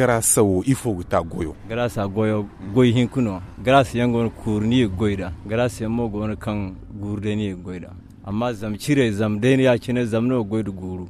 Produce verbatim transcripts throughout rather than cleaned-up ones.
Garaasa wo ifo ga ta goyo? Garaasa goyo, goy hinka no. Garaasa yaŋ go no kuuru ni ga goy nd'a. Garaasa yaŋ mo go no kaŋ guuru day ni ga goy nd'a. Amma zama ciray zama day no ya- cine zama no ga goy nda guuru.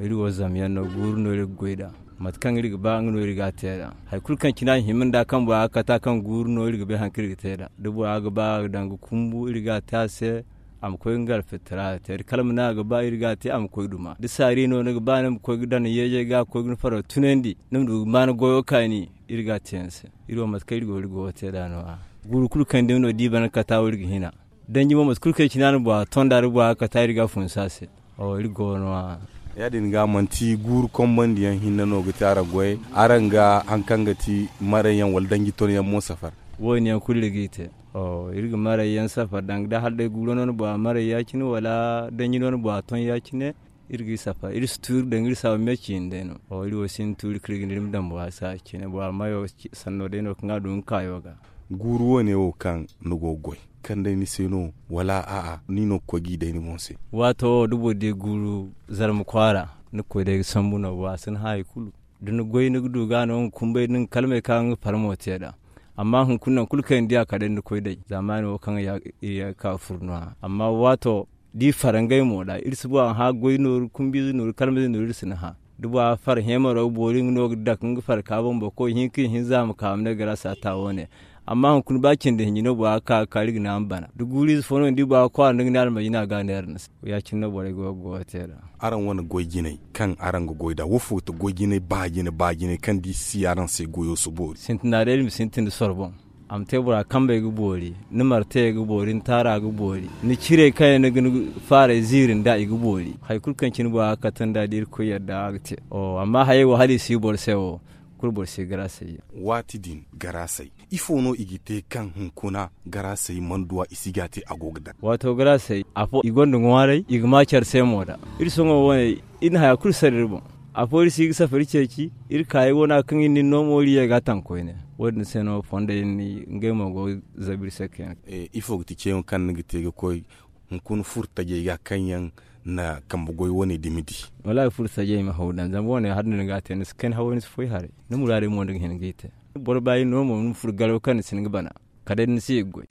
Iri wo zama yaŋ no, guuru no iri ga goy nd'a. Mate kaŋ iri ga ba nga no iri ga a te nd'a. Hari kulu kaŋ cine a hima nd'a kaŋ bora ga kata kaŋ guuru no iri ga bay hari kaŋ iri ga te nd'a. Da bora ga ba a ga daŋ ga kumbu iri ga a te a se. A ma koy nga alfitara te da kalma no a ga ba iri ga a te a ma koy duma da saari no ni ga ba ni ma koy ga daŋ yeejey ga koy ga ni faro tunandi. Ni ma du ga ma ni goyo kaani. Iri ga a te yaŋ se. Iri wo mate kaŋ iri go iri go ga te nd'a no- ya guuru kulu kaŋ day no da i bana kata wo iri ga hina. Danji mo mate kulu kaŋ cine a na bora tonda da bora ga kata iri ga a funsu a se. Iri go no- ya ya- din ga manti guuru kombandi yaŋ hinne no ga te araŋ goyey? Araŋ ga hari kaŋ ga ti maray yaŋ wala danji ton yaŋ mo safar? Wo- din yaŋ kulu iri g'i te. Iri ga maray yaŋ safar danga da hala day guuro no ni bora maray ya- cine wala danji no ni bora ton ya- cine. Iri g'i safar iri si tu iri daŋ iri saabu me ciine day no. Iri wo sinda tuuri kaŋ iri ga ne iri ma daŋ bora se ya- cine bora mayo sanno day no kaŋ a du nga kaayo ga. Guuru wo- ne wo kaŋ ni go ga goy kaŋ day ni se no wala a'a ni no ga koy g'i day ni boŋ se? Waato wo da boro di guuru zarma kwaara ni ga koy day ga sambu no bora si ni hã hari kulu. Da ni goy ni ga du ga no nga kumbay da nga kalmey kaŋ a ga nga farmo te nd'a. Amma hunkuna nangu kulu kaŋ i na di a kala day ni ga koy day zaamaani wo kaŋ iri ye ga ka ga furo no- ya amma waato da i far ngey mo nd'a iri si bora hã goy nooru kumbiize nooru kalmayze nooru iri si ni hã. Da bora far heemaro ga boori nga no ga dake nga farka boŋ boro koy hinka i hinza a ma ka a ma ne garaasa ta wo- ne. Amma hunkuna ba cindi hinji no bora ga ka ga kaari ga ne a ma bana da guuriize fo no ni di bora ga kwaara nda nga ne almajina ga a neera ni se. Ya- cine no borey go ga goyo te nd'a. Araŋ wane goy jinay kaŋ araŋ ga goy nd'a wo fo ga ti goy jinay ba jine ba jine kaŋ da i si araŋ se goyo si boori? Sintina day iri ma sintin nda soro boŋ. A ma te bora kambey ga boori, ni martayey ga boori ni taara ga boori, ni cirey kaŋ yaŋ ni ga ni faaray ziiri nd'a i ga boori. Hari kulu kaŋ cine bora ga kate nd'a da irkoy yadda a ga te. Amma hayey wo hala i si boro se wo kulu boro si garaasay yaŋ. Waati din garaasay ifo no i ga te kaŋ hunkuna garaasay mana duw'a i si ga a te a go ga daŋ? Waato garaasay afo i gonda ŋwaaray i ga ma care se mo nd'a. Iri sohõ wane iri na haya kulu sara iri boŋ. Afo iri si ga safari ceeci iri kaayey wane kaŋ iri na iri no mo iri ye ga a taŋ koyne. Wo- din se no fondey ngey mo go ga zabu iri se kayna. Ifo ga ti ceeyaŋo kaŋ ni ga te ga koy hunkuna furo tajey ga kaŋ yaŋ na kambe goy wane dumi di? Wallaahi furo tajey ma haw daŋ zama wane hala ni ga a te ni si kayna haway ni si foy haray. Ni muraadey mo ni ga hin g'i te. Boro ba iri no mo ni ma furo garaw kaŋ ni si hin ga bana kala day ni si ga goy.